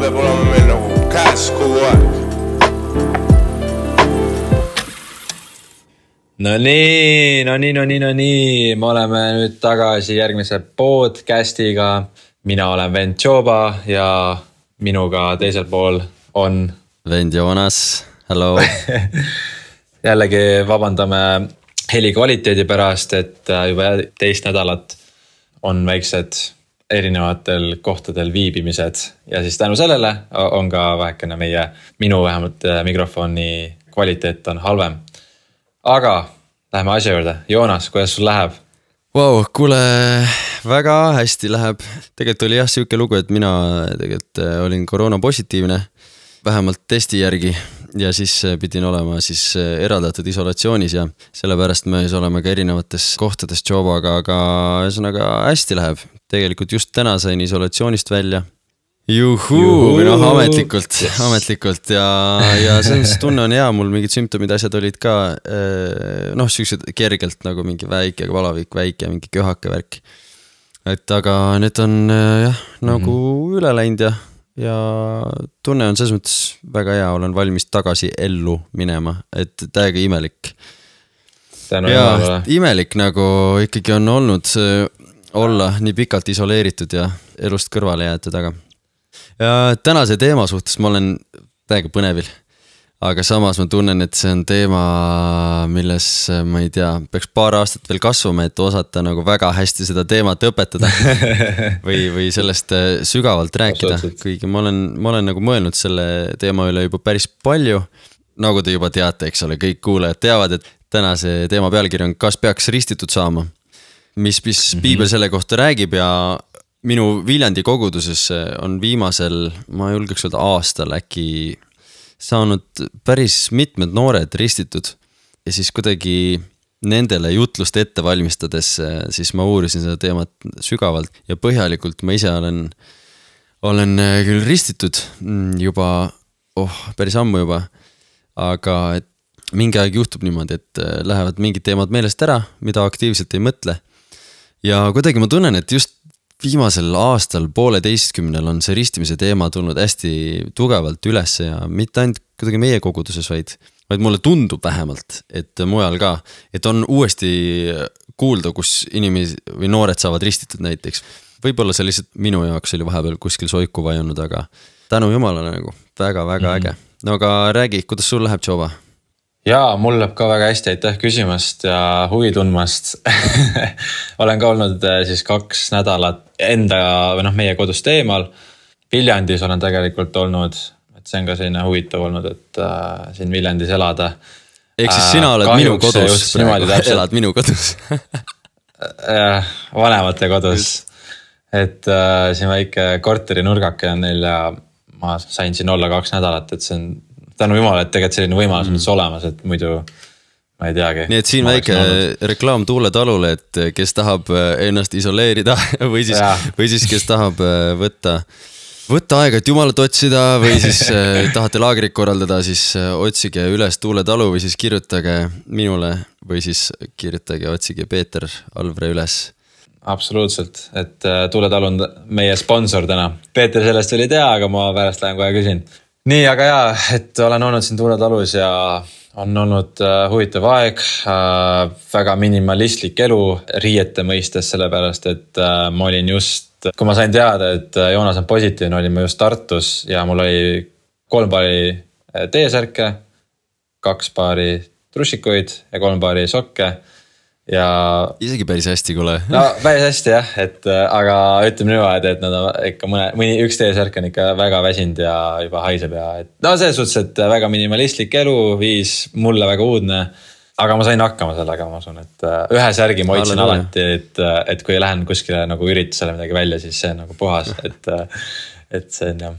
peab olema meil nagu käes kogu aeg. No nii, me oleme nüüd tagasi järgmise podcastiga. Mina olen vend Joba ja minuga teisel pool on vend Joonas, hello. Jällegi vabandame heli kvaliteedi pärast, et juba teist nädalat on väiksed erinevatel kohtadel viibimised ja siis tänu sellele on ka vähekene minu vähemalt mikrofoni kvaliteet on halvem. Aga läheme asja juurde. Joonas, kuidas sul läheb? Wow, kuule, väga hästi läheb. Tegelikult oli jah siuke lugu, et mina tegelikult olin koroona positiivne, vähemalt testi järgi. Ja siis pidin olema siis eraldatud isolatsioonis ja sellepärast me siis oleme ka erinevates kohtades Jobaga, aga ühesõnaga hästi läheb. Tegelikult just täna sain isolatsioonist välja. Juhuu, noh ametlikult ja see tunne on hea, mul mingid sümptomid asjad olid ka noh, sellised kergelt nagu mingi väike valavik, väike mingi köhake värk. Et aga need on jah, nagu üle läinud ja tunne on selles mõttes väga hea, olen valmis tagasi ellu minema, et täiega imelik. Ja imelik nagu ikkagi on olnud olla nii pikalt isoleeritud ja elust kõrvale jäetud, aga ja tänase teema suhtes ma olen täiega põnevil, aga samas ma tunnen, et see on teema, milles ma ei tea, peaks paar aastat veel kasvama, et osata nagu väga hästi seda teemat õpetada või sellest sügavalt rääkida, kuigi ma olen nagu mõelnud selle teema üle juba päris palju, nagu te juba teate, eks ole, kõik kuulajad teavad, et tänase teema pealkiri on Kas peaks ristitud saama, mis piibel selle kohta räägib ja minu Viljandi koguduses on viimasel, ma julgeks öelda aastal äkki saanud päris mitmed noored ristitud ja siis kuidagi nendele jutlust ette valmistades siis ma uurisin seda teemat sügavalt ja põhjalikult. Ma ise olen küll ristitud juba, päris ammu juba, aga et mingi aeg juhtub niimoodi, et lähevad mingid teemad meelest ära, mida aktiivselt ei mõtle ja kuidagi ma tunnen, et just viimasel aastal 1,5 on see ristimise teema tulnud hästi tugevalt üles ja mitte ainult kuidagi meie koguduses, vaid mulle tundub vähemalt, et mujal ka, et on uuesti kuulda, kus inimesi või noored saavad ristitud näiteks. Võib-olla see lihtsalt minu jaoks oli vahepeal kuskil soiku vajunud, aga tänu jumalale nagu väga-väga äge. No aga räägi, kuidas sul läheb, Joba? Jaa, mul läheb ka väga hästi, aitäh küsimast ja huvi tundmast. Olen ka olnud siis 2 nädalat enda või meie kodust eemal. Viljandis olen tegelikult olnud, et see on ka selline huvitav olnud, et siin Viljandis elada. Ehk siis sina oled minu kodus, elad minu kodus. Vanemate kodus. Et siin väike korteri nurgake on neil ja ma sain siin olla 2 nädalat, et see on tänu jumala, et tegelikult selline võimalus on olemas, et muidu ma ei teagi. Nii et siin väike reklaam Tuule talule, et kes tahab ennast isoleerida või siis kes tahab võtta aega, et jumalat otsida või siis tahate laagrit korraldada, siis otsige üles Tuule talu või siis kirjutage minule või siis kirjutage, otsige Peeter Alvre üles. Absoluutselt, et Tuule talu on meie sponsor täna. Peeter sellest oli tea, aga ma pärast lähen kohe küsin. Nii, aga jaa, et olen olnud siin Tuule talus ja on olnud huvitav aeg, väga minimalistlik elu riiete mõistes, sellepärast, et ma olin just, kui ma sain teada, et Joonas on positiivne, olin ma just Tartus ja mul oli 3 paari T-särke, 2 paari trussikuid ja 3 paari sokke. Ja isegi päris hästi, kuule. No päris hästi jah, et aga ütleme niimoodi, et nad on ikka üks T-särk on ikka väga väsinud ja juba haiseb ja et no selles suhtes, et väga minimalistlik elu, viis mulle väga uudne, aga ma sain hakkama sellega, ma usun, et ühe särgi ma hoidsin alati, et kui lähen kuskile nagu üritusele midagi välja, siis see on nagu puhas, et see on jah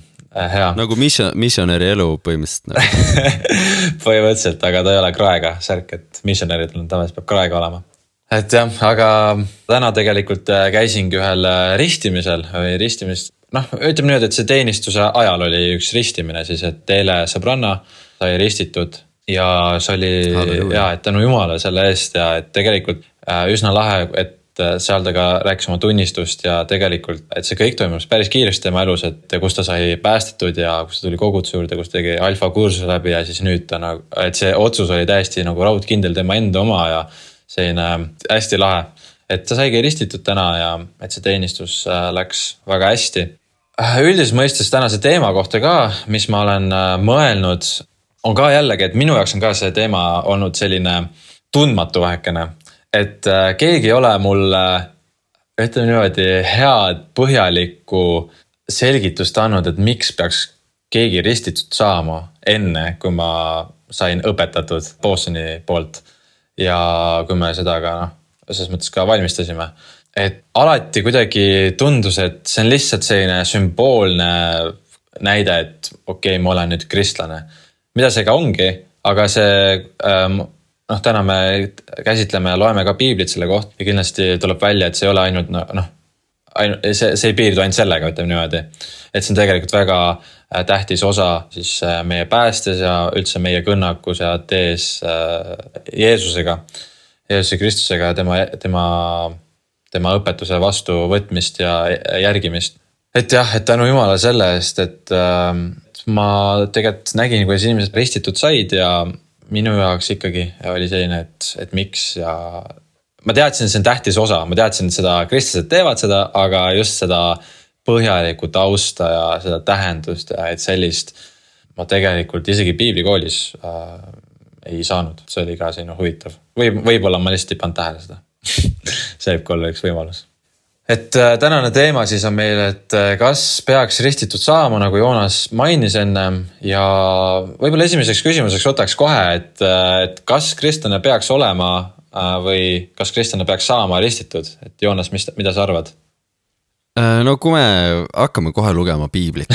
hea. Nagu missionäri elu põhimõtteliselt nagu. Põhimõtteliselt, aga ta ei ole kraega särk, et missionärid on tavaliselt peab kraega olema. Et jah, aga täna tegelikult käisingi ühel ristimisel või ristimist. Noh, ütleme nüüd, et see teenistuse ajal oli üks ristimine siis, et eile sõbranna sai ristitud ja see oli, et tänu jumala selle eest ja et tegelikult üsna lahe, et et seal ta ka rääkis oma tunnistust ja tegelikult, et see kõik toimus päris kiiresti tema elus, et kus ta sai päästetud ja kus ta tuli koguduse juurde, kus ta tegi alfa kursuse läbi ja siis nüüd ta nagu, et see otsus oli täiesti nagu raudkindel tema enda oma ja selline hästi lahe. Et ta saigi ristitud täna ja et see teenistus läks väga hästi. Üldises mõistes tänase teema kohta ka, mis ma olen mõelnud, on ka jällegi, et minu jaoks on ka see teema olnud selline tundmatu vähekene. Et keegi ei ole mulle, ütleme niimoodi, head põhjalikku selgitust andnud, et miks peaks keegi ristitud saama enne, kui ma sain õpetatud Bosoni poolt. Ja kui me seda ka, selles mõttes ka valmistasime. Et alati kuidagi tundus, et see on lihtsalt selline sümboolne näide, et okei, ma olen nüüd kristlane. Mida see ka ongi, aga see... täna me käsitleme ja loeme ka piiblit selle kohta ja kindlasti tuleb välja, et see ei ole ainult, see ei piirdu ainult sellega, ütleme niimoodi. Et see on tegelikult väga tähtis osa siis meie päästes ja üldse meie kõnnakus ja tees Jeesusega, Jeesuse Kristusega ja tema õpetuse vastu võtmist ja järgimist. Et jah, et tänu Jumala selle eest, et ma tegelikult nägin, kuidas inimesed ristitud said ja minu jaoks ikkagi oli selline, et miks ja ma teadsin, see on tähtis osa, ma teadsin, et seda kristlased teevad seda, aga just seda põhjalikku tausta ja seda tähendust ja et sellist ma tegelikult isegi piiblikoolis ei saanud, see oli ka selline huvitav. Võib-olla ma lihtsalt ei pannud tähele seda. See võib olla üks võimalus. Et tänane teema siis on meil, et kas peaks ristitud saama, nagu Joonas mainis enne ja võib-olla esimeseks küsimuseks võtaks kohe, et kas kristlane peaks olema või kas kristlane peaks saama ristitud, et Joonas, mida sa arvad? No kui me hakkame kohe lugema piiblit.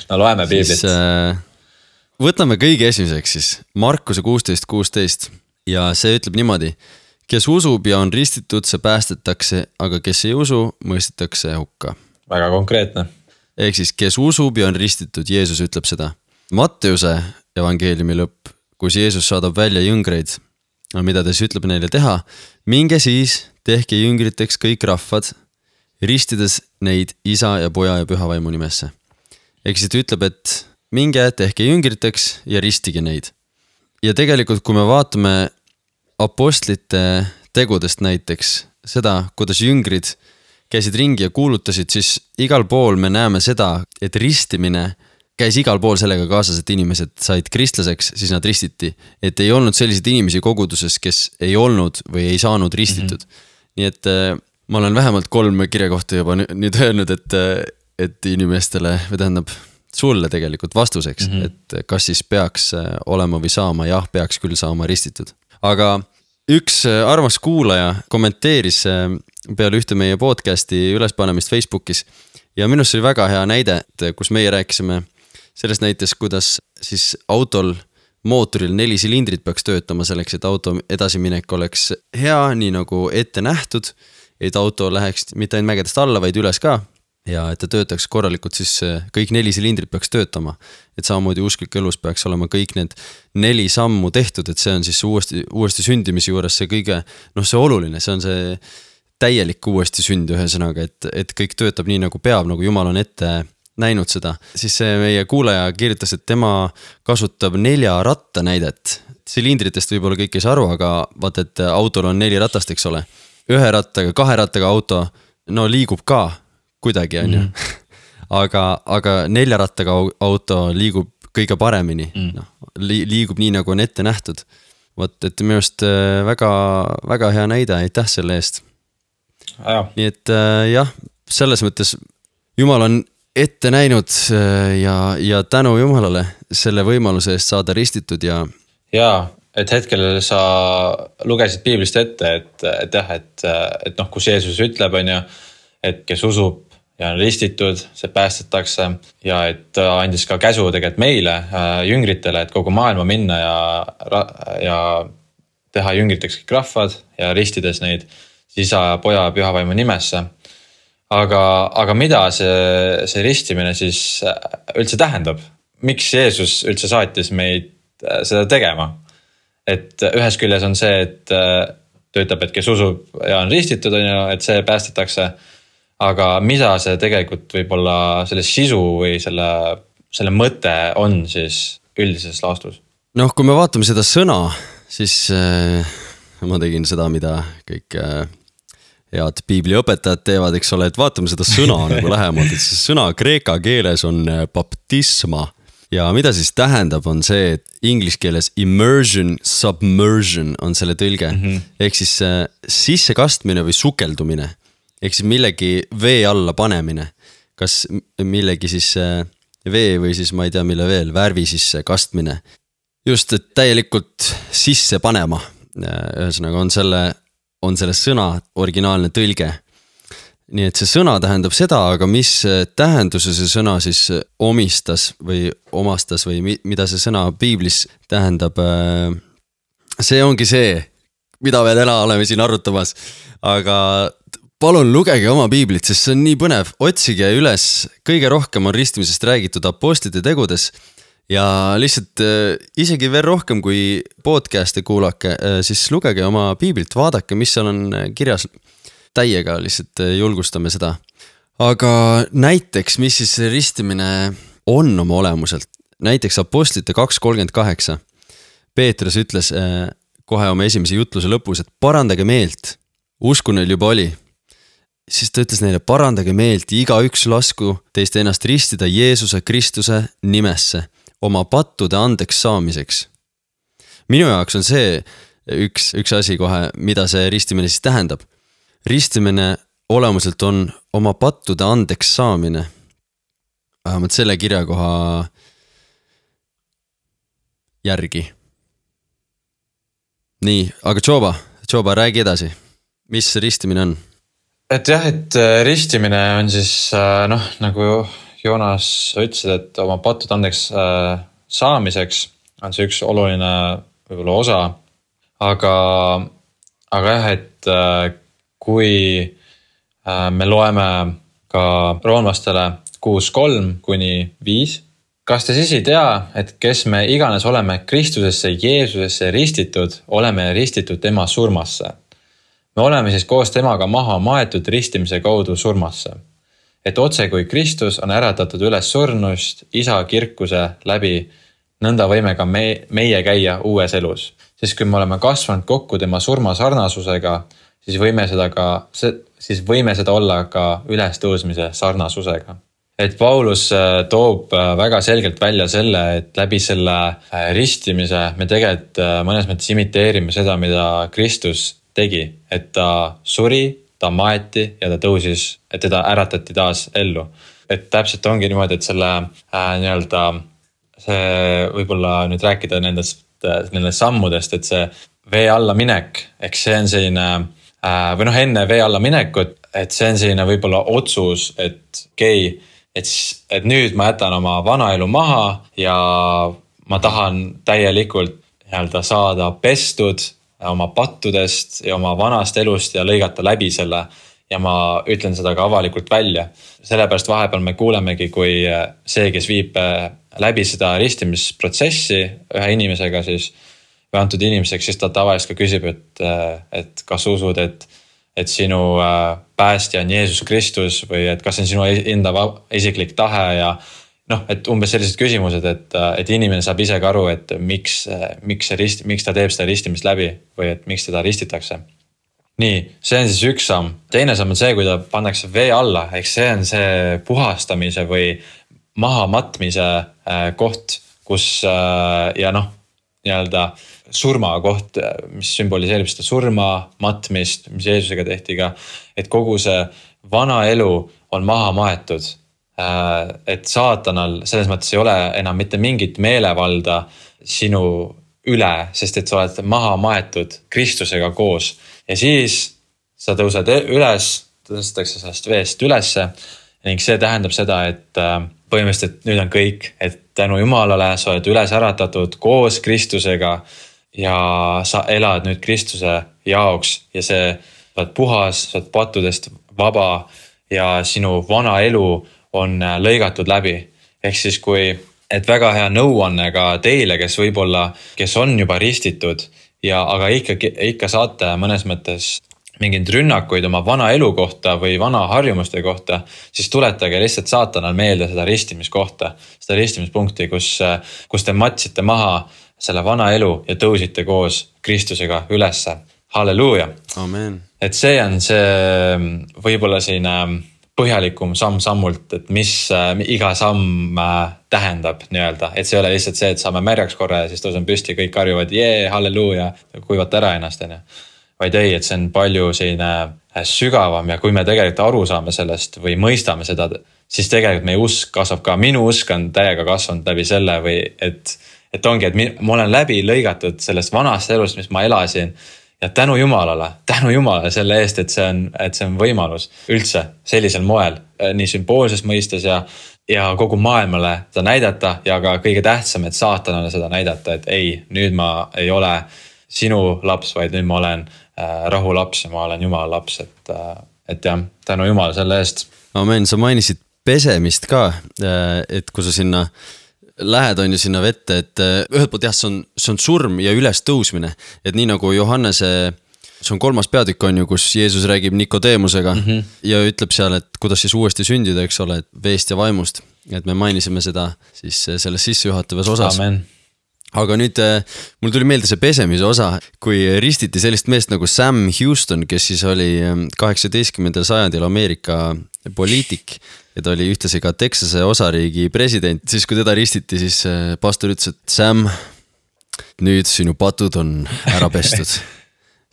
No loeme piiblit. Siis võtame kõige esimeseks siis Markuse 16:16 ja see ütleb niimoodi. Kes usub ja on ristitud, see päästetakse, aga kes ei usu, mõistetakse hukka. Väga konkreetne. Ehk siis, kes usub ja on ristitud, Jeesus ütleb seda. Matteuse evangeeliumi lõpp, kus Jeesus saadab välja jüngreid, mida ta siis ütleb neile teha, minge siis, tehke jüngriteks kõik rahvad, ristides neid isa ja poja ja püha vaimu nimesse. Ehk siis ta ütleb, et minge, tehke jüngriteks ja ristige neid. Ja tegelikult, kui me vaatame apostlite tegudest näiteks seda, kuidas jüngrid käisid ringi ja kuulutasid, siis igal pool me näeme seda, et ristimine käis igal pool sellega kaasas, et inimesed said kristlaseks, siis nad ristiti. Et ei olnud selliseid inimesi koguduses, kes ei olnud või ei saanud ristitud. Nii et ma olen vähemalt 3 kirjakohta juba nüüd öelnud, et inimestele, või tähendab sulle tegelikult vastuseks, et kas siis peaks olema või saama, jah, peaks küll saama ristitud. Aga üks armas kuulaja kommenteeris peale ühte meie podcasti ülespanemist Facebookis ja minust oli väga hea näide, kus meie rääkisime sellest näites, kuidas siis autol mootoril 4 silindrit peaks töötama selleks, et auto edasiminek oleks hea, nii nagu ette nähtud, et auto läheks mitte ainult mägedest alla, vaid üles ka. Ja et ta töötaks korralikult, siis kõik 4 silindrit peaks töötama. Et samamoodi usklik elus peaks olema kõik need 4 sammu tehtud, et see on siis uuesti sündimise juures see kõige, see oluline, see on see täielik uuesti sünd ühesõnaga, et kõik töötab nii nagu peab, nagu Jumal on ette näinud seda. Siis see meie kuulaja kirjutas, et tema kasutab 4 ratta näidet. Silindritest võib-olla kõik ei saa aru, aga vaata, et autol on 4 ratast, eks ole. 1 rattaga, 2 rattaga auto, liigub ka kuidagi on ju. Aga 4 rattaga auto liigub kõige paremini. Liigub nii, nagu on ette nähtud. Võt, et minu arust väga, väga hea näide, aitäh selle eest. Nii et jah, selles mõttes Jumal on ette näinud ja tänu Jumalale selle võimaluse eest saada ristitud ja... Jaa, et hetkel sa lugesid piiblist ette, et kus Jeesus ütleb, on ju, et kes usub ja on ristitud, see päästetakse ja et andis ka käsu tegelikult meile, jüngritele, et kogu maailma minna ja teha jüngriteks kõik rahvad ja ristides neid isa ja poja ja püha vaimu nimesse. Aga mida see ristimine siis üldse tähendab? Miks Jeesus üldse saatis meid seda tegema? Et ühes küljes on see, ta ütleb, et kes usub ja on ristitud, on ju, et see päästetakse. Aga mida see tegelikult võib-olla selle sisu või selle mõte on siis üldises laastus? Noh, kui me vaatame seda sõna, siis ma tegin seda, mida kõik head piibliõpetajad teevad, eks ole, et vaatame seda sõna nagu lähemalt, et see sõna kreeka keeles on baptisma. Ja mida siis tähendab, on see, et inglise keeles immersion, submersion on selle tõlge. Ehk siis sisse kastmine või sukeldumine. Ehk siis millegi vee alla panemine. Kas millegi siis vee või siis ma ei tea mille veel, värvi sisse kastmine. Just, et täielikult sisse panema. Ühesõnaga on selle sõna originaalne tõlge. Nii et see sõna tähendab seda, aga mis tähenduse see sõna siis omastas või mida see sõna piiblis tähendab, see ongi see, mida me täna oleme siin arutamas. Aga palun lugege oma piiblit, sest see on nii põnev, otsige üles, kõige rohkem on ristimisest räägitud apostlite tegudes ja lihtsalt isegi veel rohkem kui podcast'e kuulake, siis lugege oma piiblit, vaadake, mis seal on kirjas. Täiega lihtsalt julgustame seda. Aga näiteks, mis siis ristimine on oma olemuselt? Näiteks apostlite 2.38. Peetrus ütles kohe oma esimese jutluse lõpus, et parandage meelt. Usku neil juba oli. Siis ta ütles neile, parandage meelt, igaüks lasku teist ennast ristida Jeesuse Kristuse nimesse, oma pattude andeks saamiseks. Minu jaoks on see üks asi kohe, mida see ristimine siis tähendab. Ristimine olemuselt on oma pattude andeks saamine. Vähemalt selle kirjakoha järgi. Nii, aga Joba, räägi edasi. Mis ristimine on? Et jah, et ristimine on siis, nagu Joonas ütlesid, et oma pattude andeks saamiseks on see üks oluline võib-olla osa. Aga jah, et kui me loeme ka roomlastele 6.3-5, kas te siis ei tea, et kes me iganes oleme Kristusesse, Jeesusesse ristitud, oleme ristitud tema surmasse. Me oleme siis koos temaga maha maetud ristimise kaudu surmasse. Et otse kui Kristus on äratatud üles surnust isa kirkuse läbi, nõnda võime ka meie käia uues elus. Siis kui me oleme kasvanud kokku tema surma sarnasusega, siis võime seda olla ka ülestõusmise sarnasusega. Et Paulus toob väga selgelt välja selle, et läbi selle ristimise me tegelikult mõnes mõttes imiteerime seda, mida Kristus tegi. Et ta suri, ta maeti ja ta tõusis, et teda äratati taas ellu. Et täpselt ongi niimoodi, et selle see võib-olla nüüd rääkida nendest sammudest, et see vee alla minek, eks see on selline või enne vee alla minekut, et see on selline võib-olla otsus, et et nüüd ma jätan oma vana elu maha ja ma tahan täielikult saada pestud oma pattudest ja oma vanast elust ja lõigata läbi selle ja ma ütlen seda ka avalikult välja. Sellepärast vahepeal me kuulemegi, kui see, kes viib läbi seda ristimisprotsessi ühe inimesega siis või antud inimeseks, siis ta tavaliselt ka küsib, et kas usud, et sinu päästja on Jeesus Kristus või et kas on sinu enda isiklik tahe ja et umbes sellised küsimused, et inimene saab ise ka aru, et miks ta teeb seda ristimist läbi või et miks teda ristitakse. Nii, see on siis üks samm. Teine samm on see, kui ta pannakse vee alla, eks see on see puhastamise või mahamatmise koht, kus surma koht, mis sümboliseerib seda surma, matmist, mis Jeesusega tehti ka, et kogu see vana elu on maha maetud. Et saatanal selles mõttes ei ole enam mitte mingit meelevalda sinu üle, sest et sa oled maha maetud Kristusega koos. Ja siis sa tõused üles, tõstetakse sellest veest ülesse ning see tähendab seda, et põhimõtteliselt nüüd on kõik, et tänu Jumalale sa oled üles äratatud koos Kristusega ja sa elad nüüd Kristuse jaoks ja sa oled puhas, sa oled pattudest vaba ja sinu vana elu on lõigatud läbi. Ehk siis et väga hea nõuanne ka teile, kes on juba ristitud aga ikka saate mõnes mõttes mingeid rünnakuid oma vana elu kohta või vana harjumuste kohta, siis tuletage lihtsalt saatanal meelde seda ristimiskohta, seda ristimispunkti, kus te matsite maha selle vana elu ja tõusite koos Kristusega ülesse. Halleluuja. Amen. Et see on see võib-olla selline põhjalikum samm-sammult, et mis iga samm tähendab nii-öelda, et see ei ole lihtsalt see, et saame märjaks korra ja siis tõusen püsti, kõik karjuvad, halleluuja, kuivata ära ennast, vaid ei, et see on palju selline sügavam ja kui me tegelikult aru saame sellest või mõistame seda, siis tegelikult meie usk kasvab ka. Minu usk on täiega kasvanud läbi selle või et ongi, et ma olen läbi lõigatud sellest vanast elust, mis ma elasin ja tänu Jumalale selle eest, et see on võimalus üldse sellisel moel, nii sümboolses mõistes ja kogu maailmale seda näidata ja ka kõige tähtsam, et saatanale seda näidata, et ei, nüüd ma ei ole sinu laps, vaid nüüd ma olen rahu laps ja ma olen Jumala laps, et jah, tänu Jumala selle eest. Amen, sa mainisid pesemist ka, et kui sa sinna lähed on ju sinna vette, et ühelt poolt jah, see on surm ja üles tõusmine, et nii nagu Johannese, see on 3. peatükk on ju, kus Jeesus räägib Nikodeemusega ja ütleb seal, et kuidas siis uuesti sündida, eks ole, et veest ja vaimust, et me mainisime seda siis selles sissejuhatavas osas. Amen. Aga nüüd mul tuli meelde see pesemise osa, kui ristiti sellist meest nagu Sam Houston, kes siis oli 18. sajandil Ameerika poliitik ja ta oli ühtlasi ka Texase osariigi president. Siis kui teda ristiti, siis pastor ütles, et Sam, nüüd sinu patud on ära pestud.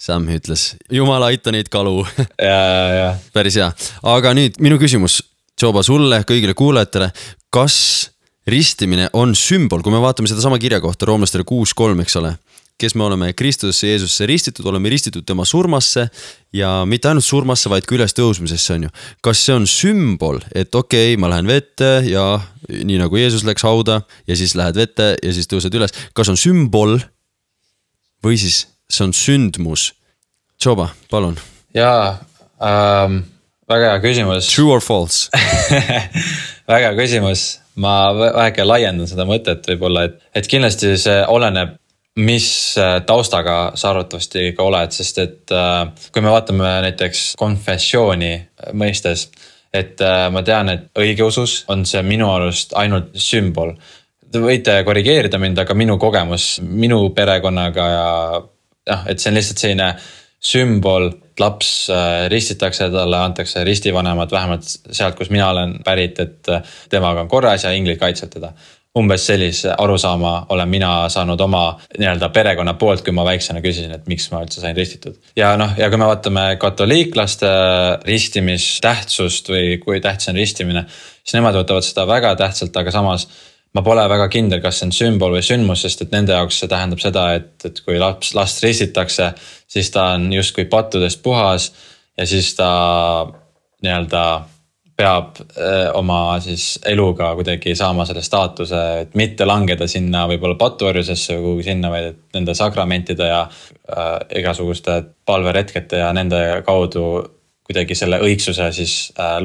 Sam ütles, Jumal aita neid kalu. Ja. Päris hea. Aga nüüd minu küsimus, Joba, sulle, kõigile kuulajatele, kas ristimine on sümbol, kui me vaatame seda sama kirja kohta roomlastele 6.3, eks ole, kes me oleme Kristusesse Jeesusesse ristitud, oleme ristitud tema surmasse ja mitte ainult surmasse, vaid ka üles tõusmisesse on ju. Kas see on sümbol, et okei, ma lähen vette ja nii nagu Jeesus läks hauda ja siis lähed vette ja siis tõused üles. Kas on sümbol või siis see on sündmus? Joba, palun. Jaa, väga hea küsimus. True or false? Väga hea küsimus. Ma väheke laiendan seda mõtet võib-olla, et kindlasti see oleneb, mis taustaga sa arvatavasti ka oled, sest et kui me vaatame näiteks konfessiooni mõistes, et ma tean, et õigeusus on see minu arust ainult sümbol. Te võite korrigeerida mind, aga minu kogemus, minu perekonnaga ja et see on lihtsalt selline sümbol, laps ristitakse, talle antakse ristivanemad vähemalt sealt, kus mina olen pärit, et temaga on korras ja inglid kaitsevad teda. Umbes sellise arusaama olen mina saanud oma nii-öelda perekonna poolt, kui ma väiksena küsisin, et miks ma üldse sain ristitud. Ja kui me vaatame katoliiklaste ristimis-tähtsust või kui tähtis on ristimine, siis nemad võtavad seda väga tähtsalt, aga samas ma pole väga kindel, kas see on sümbol või sündmus, sest et nende jaoks see tähendab seda, et kui last ristitakse, siis ta on justkui pattudest puhas ja siis ta nii-öelda peab oma siis eluga kuidagi saama selle staatuse, et mitte langeda sinna võib-olla patuorjusesse või kuhugi sinna, vaid nende sakramentide ja igasuguste palveretkete ja nende kaudu kuidagi selle õigsuse siis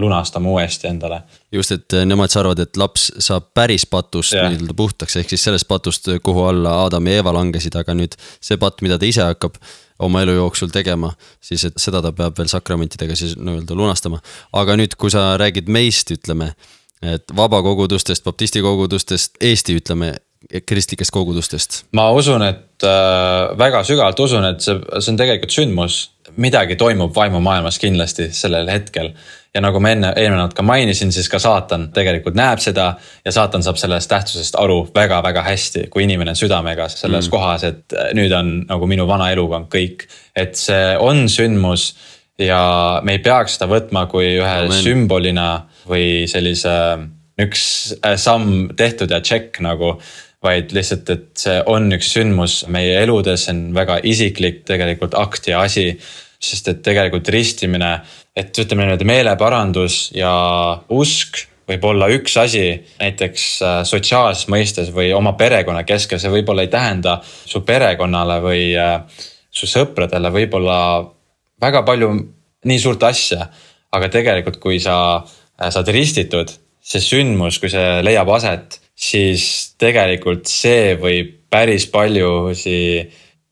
lunastama uuesti endale. Just, et nemad arvavad, et laps saab päris patust nii-öelda puhtaks, ehk siis sellest patust, kuhu alla Adam ja Eva langesid, aga nüüd see patt, mida ta ise hakkab oma elu jooksul tegema, siis et seda ta peab veel sakramentidega siis nii-öelda lunastama. Aga nüüd, kui sa räägid meist, ütleme, et vabakogudustest, baptisti kogudustest, Eesti, ütleme, kristlikest kogudustest. Ma usun, et väga sügavalt usun, et see on tegelikult sündmus. Midagi toimub vaimumaailmas kindlasti sellel hetkel. Ja nagu ma eelmine ka mainisin, siis ka saatan tegelikult näeb seda ja saatan saab sellest tähtsusest aru väga-väga hästi, kui inimene on südamega selles kohas, et nüüd on nagu minu vana eluga on kõik. Et see on sündmus ja me ei peaks seda võtma kui ühe sümbolina või sellise üks samm tehtud ja check nagu, vaid lihtsalt, et see on üks sündmus meie eludes, on väga isiklik tegelikult akt ja asi, sest et tegelikult ristimine, et ütleme nüüd meeleparandus ja usk võib olla üks asi näiteks sotsiaalses mõistes või oma perekonna keskel, see võib-olla ei tähenda su perekonnale või su sõpradele võib-olla väga palju nii suurt asja, aga tegelikult kui sa saad ristitud, see sündmus, kui see leiab aset, siis tegelikult see võib päris paljusi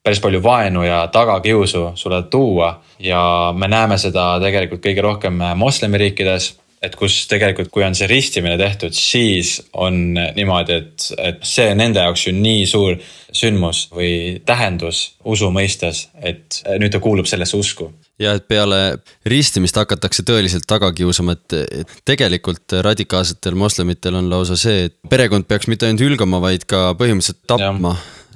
päris palju vaenu ja tagakiusu sulle tuua ja me näeme seda tegelikult kõige rohkem moslemiriikides, et kus tegelikult, kui on see ristimine tehtud, siis on niimoodi, et see nende jaoks ju nii suur sündmus või tähendus usu mõistes, et nüüd ta kuulub sellesse usku. Ja et peale ristimist hakatakse tõeliselt taga kiusama, et tegelikult radikaalsetel moslemitel on lausa see, et perekond peaks mitte ainult hülgama, vaid ka põhimõtteliselt tapma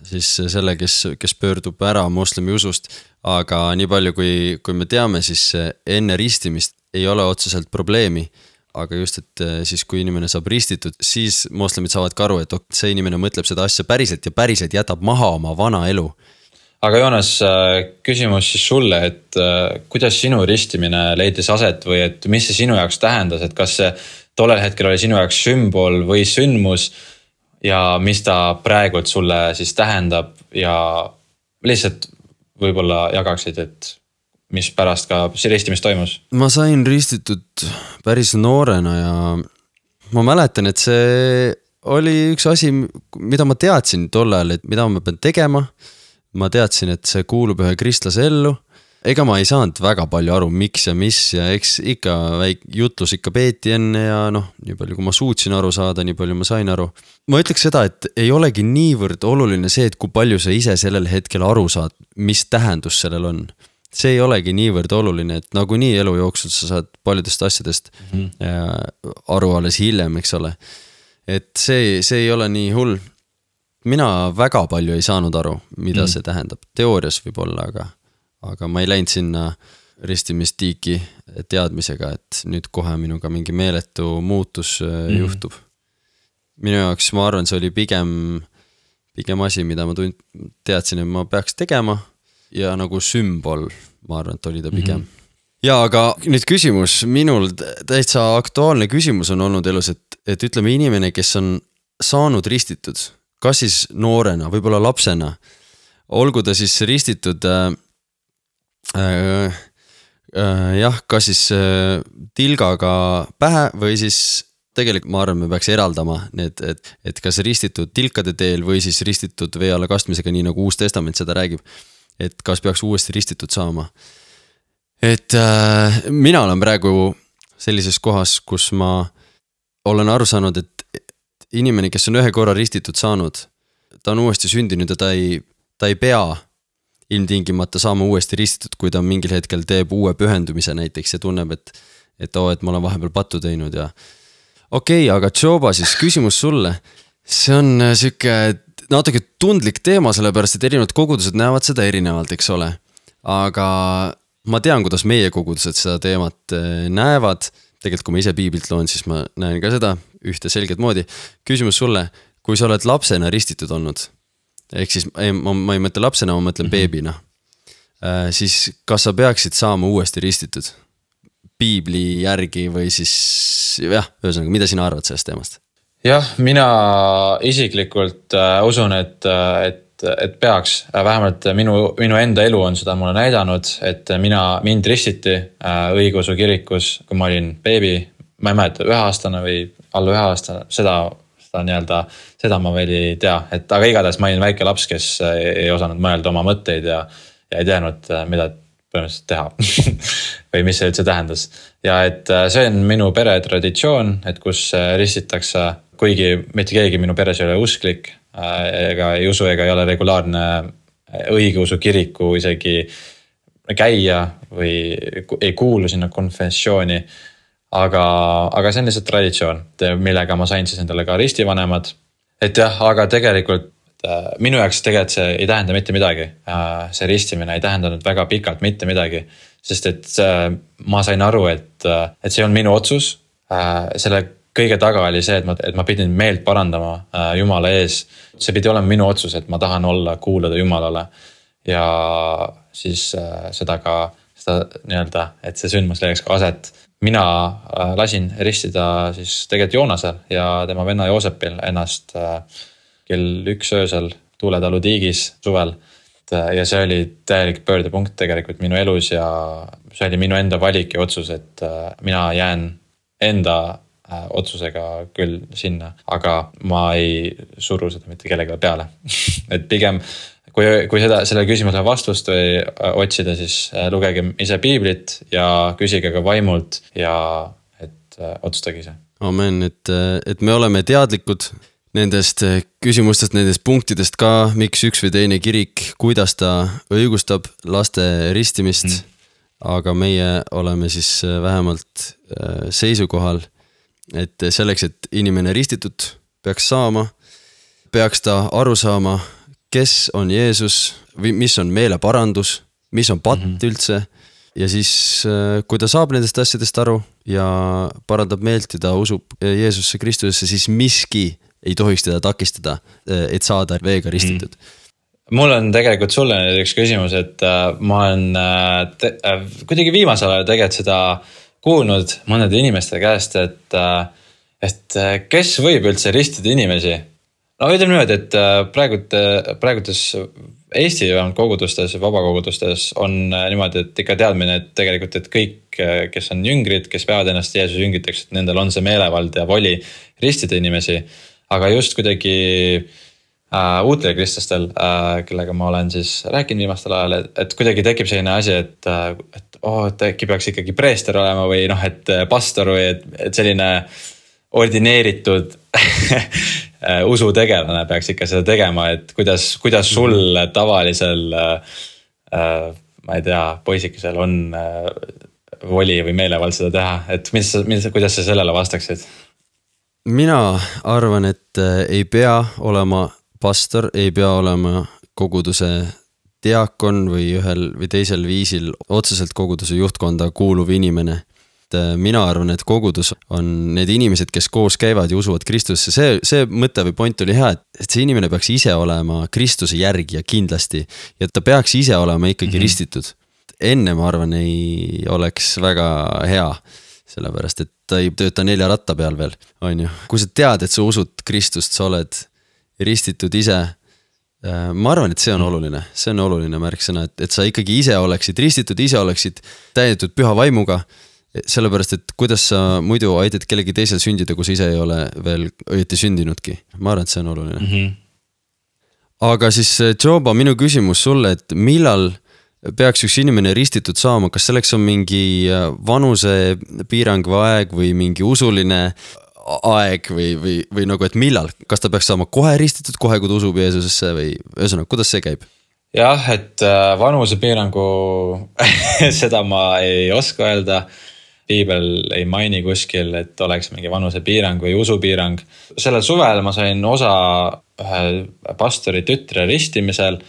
siis selle, kes pöördub ära moslemi usust. Aga nii palju, kui me teame, siis enne ristimist ei ole otseselt probleemi. Aga just, et siis kui inimene saab ristitud, siis moslemid saavad ka aru, et see inimene mõtleb seda asja päriselt ja päriselt jätab maha oma vana elu. Aga Joonas, küsimus siis sulle, et kuidas sinu ristimine leidis aset või et mis see sinu jaoks tähendas, et kas see tollel hetkel oli sinu jaoks sümbol või sündmus ja mis ta praegult sulle siis tähendab ja lihtsalt võib-olla jagaksid, et mis pärast ka see ristimist toimus? Ma sain ristitud päris noorena ja ma mäletan, et see oli üks asi, mida ma teadsin tol ajal, et mida ma pean tegema. Ma teadsin, et see kuulub ühe kristlase ellu. Ega ma ei saanud väga palju aru, miks ja mis ja eks ikka jutlus ikka peeti enne ja nii palju kui ma suutsin aru saada, nii palju ma sain aru. Ma ütleks seda, et ei olegi niivõrd oluline see, et kui palju sa ise sellel hetkel aru saad, mis tähendus sellel on. See ei olegi niivõrd oluline, et nagu nii elu jooksul sa saad paljudest asjadest aru alles hiljem, eks ole. Et see ei ole nii hull. Mina väga palju ei saanud aru, mida see tähendab. Teoorias võib olla, aga ma ei läinud sinna ristimistiiki teadmisega, et nüüd kohe minuga mingi meeletu muutus juhtub. Minu jaoks ma arvan, see oli pigem asi, mida ma teadsin, et ma peaks tegema ja nagu sümbol, ma arvan, et oli ta pigem. Ja aga nüüd küsimus, minul täitsa aktuaalne küsimus on olnud elus, et ütleme inimene, kes on saanud ristitud, kas siis noorena, võib-olla lapsena, olgu ta siis ristitud kas siis tilgaga pähe või siis tegelikult ma arvan, me peaks eraldama need, et kas ristitud tilkade teel või siis ristitud vee alla kastmisega, nii nagu Uus Testament seda räägib, et kas peaks uuesti ristitud saama. Et mina olen praegu sellises kohas, kus ma olen aru saanud, et inimene, kes on ühe korra ristitud saanud, ta on uuesti sündinud ja ta ei pea ilmtingimata saama uuesti ristitud, kui ta mingil hetkel teeb uue pühendumise näiteks ja tunneb, et ma olen vahepeal pattu teinud ja okei, aga Joba, siis küsimus sulle. See on siuke natuke tundlik teema, sellepärast, et erinevad kogudused näevad seda erinevalt, eks ole. Aga ma tean, kuidas meie kogudused seda teemat näevad. Tegelikult, kui ma ise piiblilt loen, siis ma näen ka seda ühte selget moodi. Küsimus sulle, kui sa oled lapsena ristitud olnud, ehk siis ma ei mõtle lapsena, ma mõtlen beebina, siis kas sa peaksid saama uuesti ristitud piibli järgi või siis ühesõnaga, mida sina arvad sellest teemast? Jah, mina isiklikult usun, et peaks, vähemalt minu enda elu on seda mulle näidanud, et mind ristiti õigeusu kirikus, kui ma olin beebi, ma ei mäleta, 1-aastane või alla 1-aastane, seda ma veel ei tea, aga igatahes ma olin väike laps, kes ei osanud mõelda oma mõtteid ja ei teadnud, mida põhimõtteliselt teha või mis see üldse tähendas. Ja et see on minu pere traditsioon, et kus ristitakse, kuigi mitte keegi minu peres ei ole usklik, ega ei usu, ega ei ole regulaarne õigeusu kiriku isegi käia või ei kuulu sinna konfessiooni, aga see on lihtsalt traditsioon, millega ma sain siis endale ka ristivanemad. Et jah, aga tegelikult minu jaoks tegelikult see ei tähenda mitte midagi. See ristimine ei tähendanud väga pikalt mitte midagi, sest et ma sain aru, et see on minu otsus. Selle kõige taga oli see, et ma pidin meelt parandama Jumala ees. See pidi olema minu otsus, et ma tahan kuulada Jumalale ja siis seda nii-öelda, et see sündmus leiaks ka aset. Mina lasin ristida siis tegelikult Joonasel ja tema venna Joosepil ennast kell 1 öösel Tuuletalu tiigis suvel. Ja see oli täielik pöördepunkt tegelikult minu elus ja see oli minu enda valik ja otsus, et mina jään enda otsusega küll sinna, aga ma ei suru seda mitte kellelegi peale et pigem kui sellele küsimusele vastust või otsida, siis lugege ise piiblit ja küsige ka vaimult ja et otsustage ise. Amen, et me oleme teadlikud nendest küsimustest, nendest punktidest ka, miks üks või teine kirik, kuidas ta õigustab laste ristimist, aga meie oleme siis vähemalt seisukohal, et selleks, et inimene ristitud peaks saama, peaks ta aru saama, kes on Jeesus või mis on meeleparandus, mis on patt üldse ja siis kui ta saab nendest asjadest aru ja parandab meelt ja ta usub Jeesusse Kristusesse, siis miski ei tohiks teda takistada, et saada veega ristitud. Mul on tegelikult sulle üks küsimus, et ma olen kuidagi viimasel ajal tegelikult seda kuulnud mõnede inimeste käest, et kes võib üldse ristida inimesi? No ütleme niimoodi, et praegutes Eesti kogudustes, vabakogudustes on niimoodi, et ikka teadmine, et tegelikult, et kõik, kes on jüngrid, kes peavad ennast Jeesuse jüngriteks, et nendel on see meelevald ja voli ristida inimesi. Aga just kuidagi uutele kristlastel, kellega ma olen siis rääkinud viimastel ajal, et kuidagi tekib selline asi, et äkki peaks ikkagi preester olema või et pastor või et selline ordineeritud usutegelane peaks ikka seda tegema, et kuidas sul tavalisel, ma ei tea, poisikesel on voli või meelevald seda teha, et kuidas sa sellele vastaksid? Mina arvan, et ei pea olema pastor, ei pea olema koguduse diakon või ühel või teisel viisil otseselt koguduse juhtkonda kuuluv inimene. Mina arvan, et kogudus on need inimesed, kes koos käivad ja usuvad Kristusse. See mõte või point oli hea, et see inimene peaks ise olema Kristuse järgija kindlasti ja ta peaks ise olema ikkagi ristitud. Enne ma arvan, ei oleks väga hea, sellepärast et ta ei tööta 4 ratta peal veel, on ju. Kui sa tead, et sa usud Kristust, sa oled ristitud ise, ma arvan, et see on oluline märksõna, et sa ikkagi ise oleksid ristitud, ise oleksid täidetud püha vaimuga, sellepärast, et kuidas sa muidu aitad kellegi teisel sündida, kui sa ise ei ole veel õieti sündinudki. Ma arvan, et see on oluline. Aga siis, Joba, minu küsimus sulle, et millal peaks üks inimene ristitud saama, kas selleks on mingi vanuse piirang või aeg või mingi usuline aeg või nagu, et millal? Kas ta peaks saama kohe ristitud, kohe kui ta usub Jeesusesse või ühesõnaga, kuidas see käib? Jah, et vanuse piirangu seda ma ei oska öelda. Piibel ei maini kuskil, et oleks mingi vanuse piirang või usupiirang. Sellel suvel ma sain osa ühe pastori tütre ristimisel.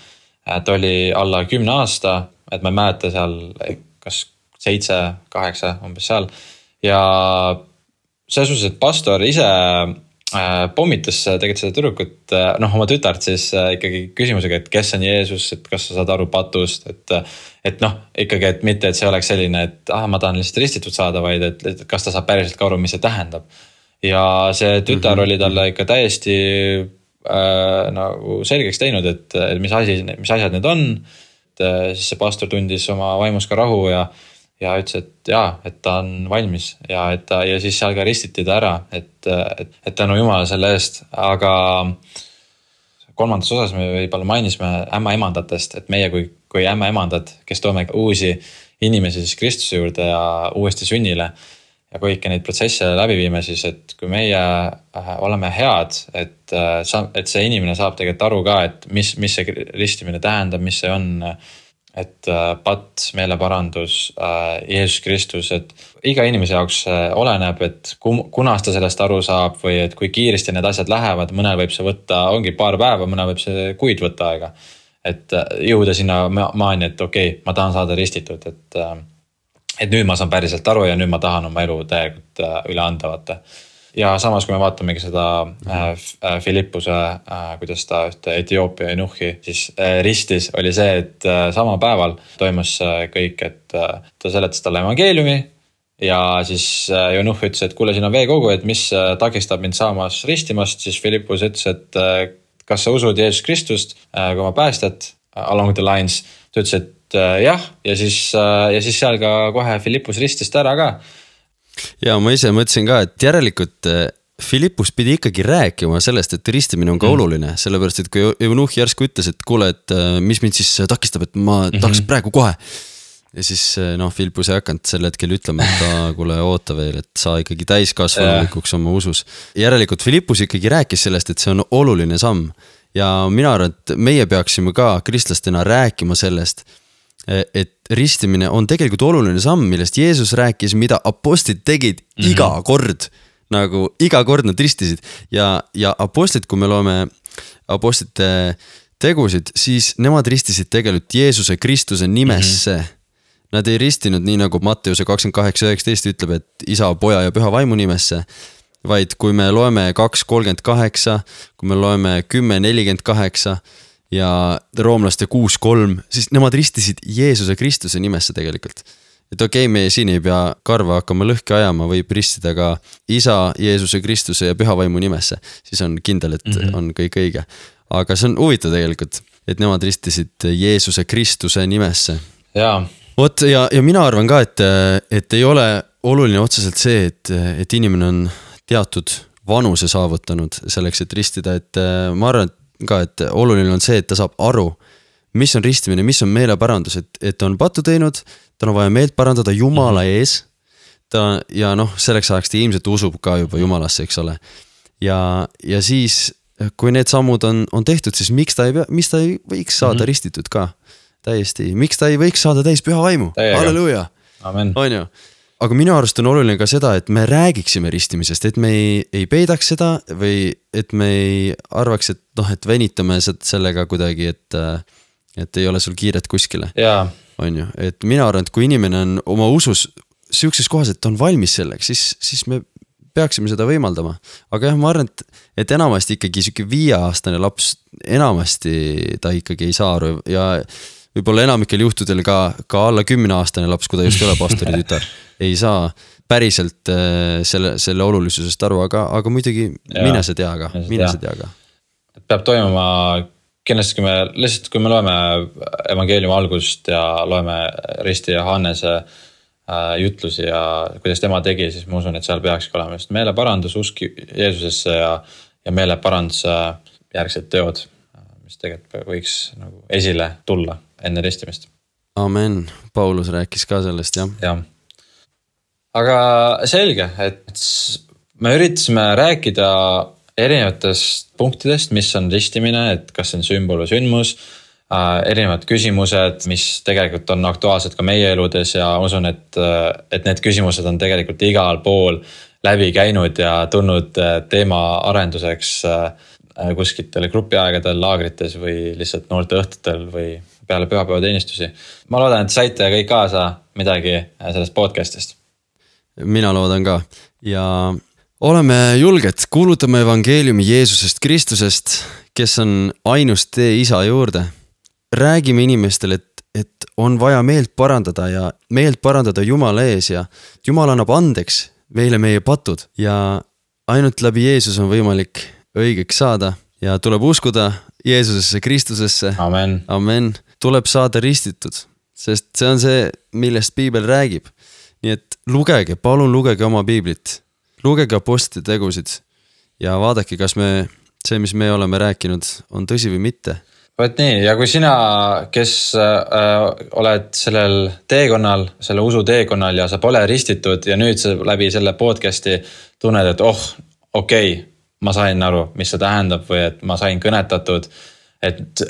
Ta oli alla 10 aasta, et ma ei mäleta seal kas 7, 8 umbes seal. Ja selles suhtes, et pastor ise pommitas tegelikult seda tüdrukut, oma tütart siis ikkagi küsimusega, et kes on Jeesus, et kas sa saad aru patust, et ikkagi, et mitte, et see oleks selline, et ma tahan lihtsalt ristitud saada, vaid et kas ta saab päriselt ka aru, mis see tähendab. Ja see tütar oli talle ikka täiesti nagu selgeks teinud, et mis asjad need on. Siis see pastor tundis oma vaimus ka rahu ja ütles, et ta on valmis ja siis seal ka ristiti ta ära, et tänu Jumala selle eest. Aga kolmandas osas me võib-olla mainisime ämmaemandatest, et meie kui ämmaemandad, kes toome uusi inimesi siis Kristuse juurde ja uuesti sünnile ja kõiki neid protsesse läbi viime, siis et kui meie oleme head, et see inimene saab tegelikult aru ka, et mis see ristimine tähendab, mis see on, et patt, meeleparandus, Jeesus Kristus, et iga inimese jaoks oleneb, et kunas ta sellest aru saab või et kui kiiresti need asjad lähevad, mõnel võib see võtta, ongi paar päeva, mõnel võib see kuid võtta aega. Et jõuda sinna maani, et okei, ma tahan saada ristitud, et nüüd ma saan päriselt aru ja nüüd ma tahan oma elu täielikult üle anda, vaata. Ja samas, kui me vaatamegi seda Filippuse, kuidas ta ühte Etioopia eunuhhi siis ristis, oli see, et sama päeval toimus kõik, et ta seletas talle evangeeliumi ja siis eunuhh ütles, et kuule, siin on veekogu, et mis takistab mind saamas ristimast, siis Filippus ütles, et kas sa usud Jeesus Kristust, kui ma päästad along the lines, ta ütles, et jah, ja siis seal ka kohe Filippus ristist ära ka. ja ma ise mõtlesin ka, et järelikult Philippus pidi ikkagi rääkima sellest, et ristimine on ka oluline, sellepärast, et kui Eunuhh järsku ütles, et kuule, et mis mind siis takistab, et ma tahaks praegu kohe. Ja siis Philippus ei hakanud sel hetkel ütlema, et kuule oota veel, et sa ikkagi täiskasvanulikuks oma usus. Järelikult Philippus ikkagi rääkis sellest, et see on oluline samm. Ja mina arvan, et meie peaksime ka kristlastena rääkima sellest, et ristimine on tegelikult oluline samm, millest Jeesus rääkis, mida apostlid tegid iga kord, nagu iga kord nad ristisid ja apostlid, kui me loeme apostlite tegusid, siis nemad ristisid tegelikult Jeesuse Kristuse nimesse. Nad ei ristinud nii nagu Matteuse 28:19 ütleb, et isa, poja ja püha vaimu nimesse, vaid kui me loeme 2:38, kui me loeme 10:48 ja roomlaste 6:3, siis nemad ristisid Jeesuse Kristuse nimesse tegelikult. Et okei, me siin ei pea karva hakkama lõhki ajama, võib ristida ka isa, Jeesuse Kristuse ja püha vaimu nimesse. Siis on kindel, et on kõik õige. Aga see on huvitav tegelikult, et nemad ristisid Jeesuse Kristuse nimesse. Jaa. Vot ja mina arvan ka, et ei ole oluline otseselt see, et inimene on teatud vanuse saavutanud selleks, et ristida, et ma arvan ka, et oluline on see, et ta saab aru, mis on ristimine, mis on meeleparandus, et on patu teinud, ta on vaja meelt parandada Jumala ees, ja selleks ajaks ta ilmselt usub ka juba Jumalasse, eks ole. Ja siis, kui need sammud on tehtud, siis miks ta ei võiks saada ristitud ka? Täiesti, miks ta ei võiks saada täis püha vaimu? Halleluuja! Amen. On ju? Aga minu arust on oluline ka seda, et me räägiksime ristimisest, et me ei peidaks seda või et me ei arvaks, et venitame sellega kuidagi, et ei ole sul kiiret kuskile. Jaa. On ju, et mina arvan, et kui inimene on oma usus siukses kohas, et on valmis selleks, siis me peaksime seda võimaldama. Aga jah, ma arvan, et enamasti ikkagi siuke 5-aastane laps, enamasti ta ikkagi ei saa aru ja võib-olla enamikel juhtudel ka alla 10-aastane laps, kui ta just ei ole pastori tütar, ei saa päriselt selle olulisusest aru, aga muidugi mine see tea ka. Peab toimuma kindlasti, kui me loeme evangeeliumi algust ja loeme Risti ja Hannese jutlusi ja kuidas tema tegi, siis ma usun, et seal peakski olema just meeleparandus, usk Jeesusesse ja meeleparanduse järgsed teod, mis tegelikult võiks nagu esile tulla enne ristimist. Amen. Paulus rääkis ka sellest, jah. Jah. Aga selge, et me üritasime rääkida erinevatest punktidest, mis on ristimine, et kas see on sümbol või sündmus, erinevad küsimused, mis tegelikult on aktuaalsed ka meie eludes ja usun, et need küsimused on tegelikult igal pool läbi käinud ja tulnud teema arenduseks kuskitel grupiaegadel, laagrites või lihtsalt noorte õhtutel või peale pühapäevateenistusi. Ma loodan, et saite kõik kaasa midagi sellest podcastist. Mina loodan ka ja oleme julged, kuulutame evangeeliumi Jeesusest Kristusest, kes on ainus tee isa juurde. Räägime inimestele, et on vaja meelt parandada ja meelt parandada Jumala ees ja Jumal annab andeks meile meie patud ja ainult läbi Jeesus on võimalik õigeks saada ja tuleb uskuda Jeesusesse Kristusesse. Amen. Amen. Tuleb saada ristitud, sest see on see, millest piibel räägib. Nii et lugege, palun lugege oma piiblit, lugege apostlite tegusid ja vaadake, kas see, mis me oleme rääkinud, on tõsi või mitte. Võt nii, ja kui sina, kes oled sellel teekonnal, selle usu teekonnal ja sa pole ristitud ja nüüd sa läbi selle podcasti tunned, et okei, ma sain aru, mis see tähendab või et ma sain kõnetatud, et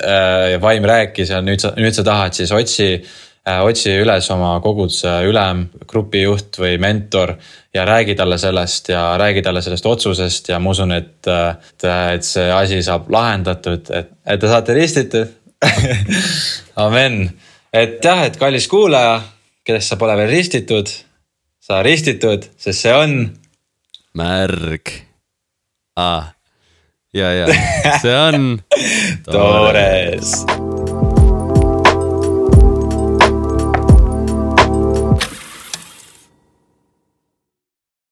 vaim rääkis ja nüüd sa tahad, siis otsi üles oma koguduse ülem, grupijuht või mentor ja räägi talle sellest otsusest ja ma usun, et see asi saab lahendatud, et te saate ristitud. Amen. Et jah, et kallis kuulaja, kellest sa pole veel ristitud, sa ristitud, sest see on märg. Ja, see on toores.